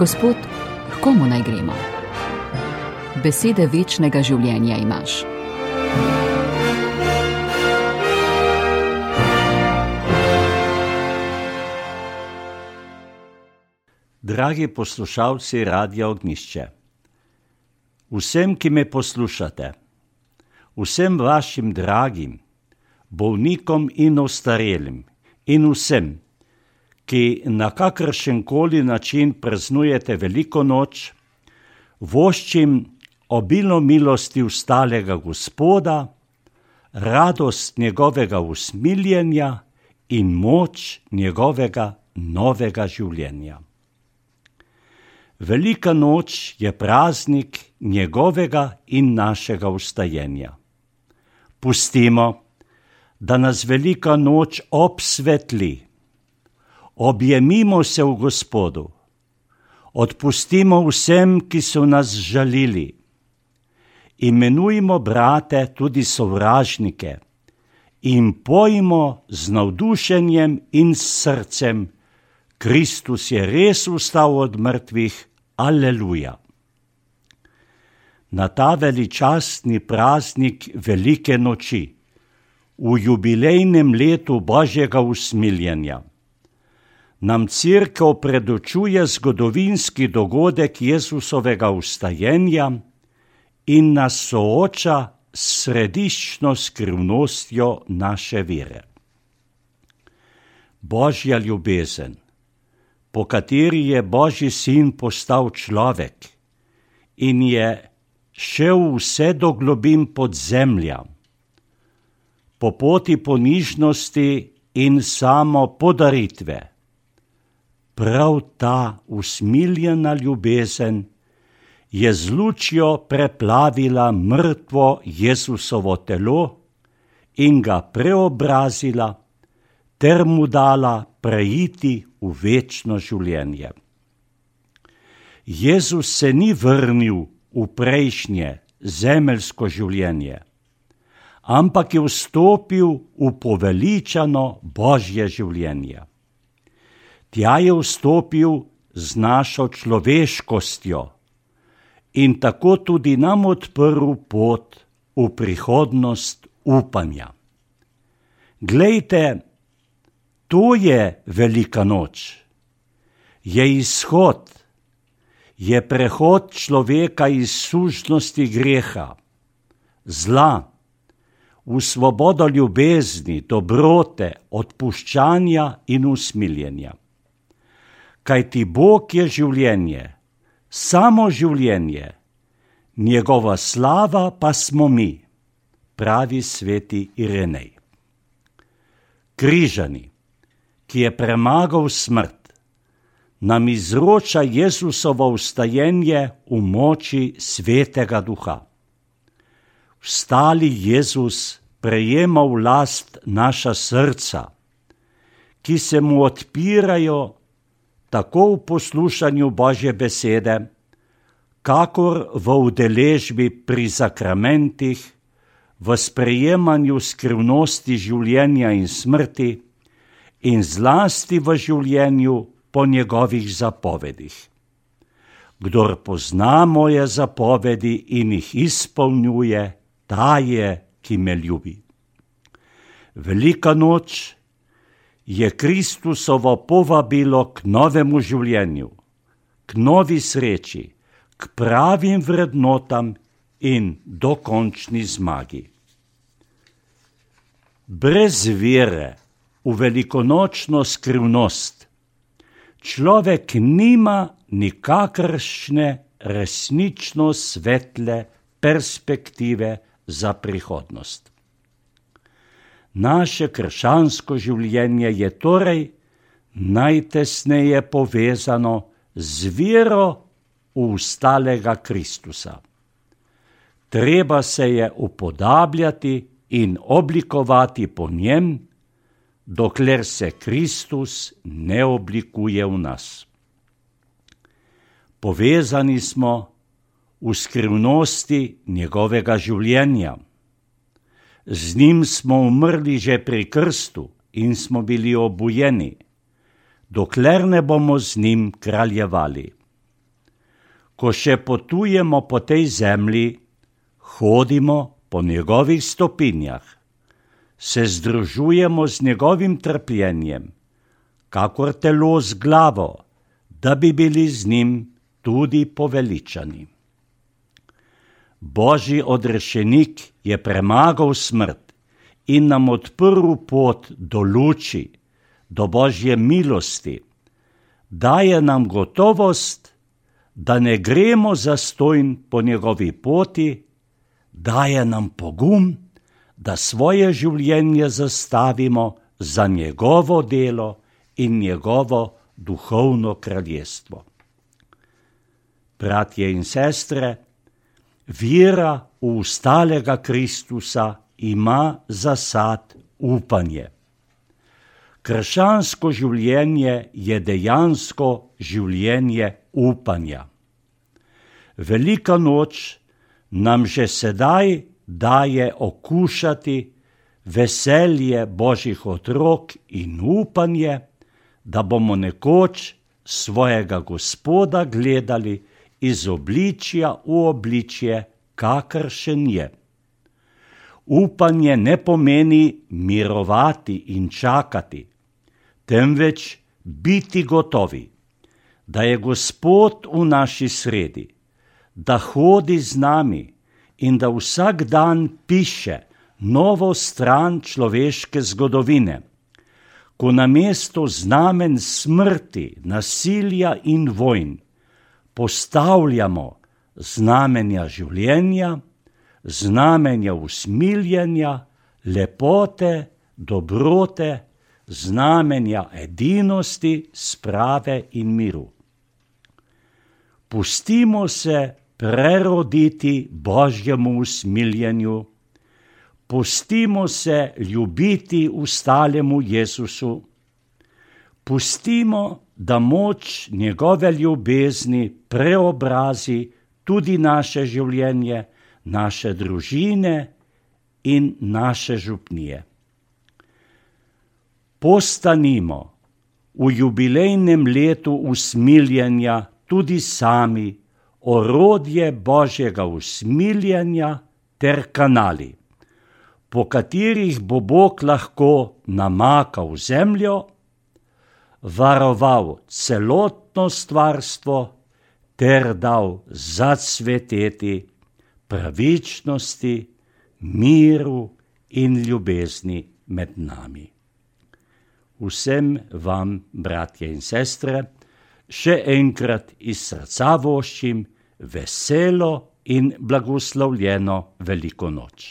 Gospod, h komu naj gremo? Besede večnega življenja imaš. Dragi poslušalci Radia Ognjišče, vsem, ki me poslušate, vsem vašim dragim, bolnikom in ostarelim in vsem, ki na kakršenkoli način praznujete Veliko noč, voščim obilno milosti vstalega Gospoda, radost njegovega usmiljenja in moč njegovega novega življenja. Velika noč je praznik njegovega in našega vstajenja. Pustimo, da nas velika noč obsvetli. Objemimo se v Gospodu. Odpustimo vsem, ki so nas žalili. Imenujmo brate tudi sovražnike in pojmo z navdušenjem in s srcem: Kristus je res vstal od mrtvih, aleluja. Na ta veličastni praznik velike noči, v jubilejnem letu Božjega usmiljenja, nam Cerkev predočuje zgodovinski dogodek Jezusovega vstajenja in nas sooča s središčno skrivnostjo naše vere. Božja ljubezen, po kateri je Božji sin postal človek in je šel vse do globin podzemlja, po poti ponižnosti in samo podaritve. Prav ta usmiljena ljubezen je z lučjo preplavila mrtvo Jezusovo telo in ga preobrazila ter mu dala preiti v večno življenje. Jezus se ni vrnil v prejšnje zemeljsko življenje, ampak je vstopil v poveličano Božje življenje. Tja je vstopil z našo človeškostjo in tako tudi nam odprl pot v prihodnost upanja. Glejte, to je velika noč. Je izhod, je prehod človeka iz sužnosti greha, zla, v svobodo ljubezni, dobrote, odpuščanja in usmiljenja. Kajti Bog je življenje, samo življenje, njegova slava pa smo mi, pravi sveti Irenej. Križani, ki je premagal smrt, nam izroča Jezusovo vstajenje v moči Svetega Duha. Vstali Jezus prejema v last naša srca, ki se mu odpirajo tako v poslušanju Božje besede, kakor v udeležbi pri sakramentih, v sprejemanju skrivnosti življenja in smrti in zlasti v življenju po njegovih zapovedih. Kdor pozna moje zapovedi in jih izpolnjuje, ta je, ki me ljubi. Velika noč je Kristusovo povabilo k novemu življenju, k novi sreči, k pravim vrednotam in dokončni zmagi. Brez vere v velikonočno skrivnost človek nima nikakršne resnično svetle perspektive za prihodnost. Naše krščansko življenje je torej najtesneje povezano z vero v vstalega Kristusa. Treba se je upodabljati in oblikovati po njem, dokler se Kristus ne oblikuje v nas. Povezani smo v skrivnosti njegovega življenja. Z njim smo umrli že pri krstu in smo bili obujeni, dokler ne bomo z njim kraljevali. ko še potujemo po tej zemlji, hodimo po njegovih stopinjah, se združujemo z njegovim trpljenjem, kakor telo z glavo, da bi bili z njim tudi poveličani. Božji odrešenik je premagal smrt in nam odprl pot do luči, do Božje milosti, daje nam gotovost, da ne gremo zastojn po njegovi poti, daje nam pogum, da svoje življenje zastavimo za njegovo delo in njegovo duhovno kraljestvo. Bratje in sestre, vera v ustalega Kristusa ima za sad upanje. Krščansko življenje je dejansko življenje upanja. Velika noč nam že sedaj daje okušati veselje Božjih otrok in upanje, da bomo nekoč svojega Gospoda gledali iz obličja v obličje, kakršen je. Upanje ne pomeni mirovati in čakati, temveč biti gotovi, da je Gospod v naši sredi, da hodi z nami in da vsak dan piše novo stran človeške zgodovine, ko namesto znamen smrti, nasilja in vojn postavljamo znamenja življenja, znamenja usmiljenja, lepote, dobrote, znamenja edinosti, sprave in miru. Pustimo se preroditi Božjemu usmiljenju, pustimo se ljubiti ustalemu Jezusu, pustimo, da moč njegove ljubezni preobrazi tudi naše življenje, naše družine in naše župnije. Postanimo v jubilejnem letu usmiljenja tudi sami orodje Božjega usmiljenja ter kanali, po katerih bo Bog lahko namakal zemljo, varoval celotno stvarstvo ter dal zacveteti pravičnosti, miru in ljubezni med nami. Vsem vam, bratje in sestre, še enkrat iz srca voščim veselo in blagoslovljeno Veliko noč.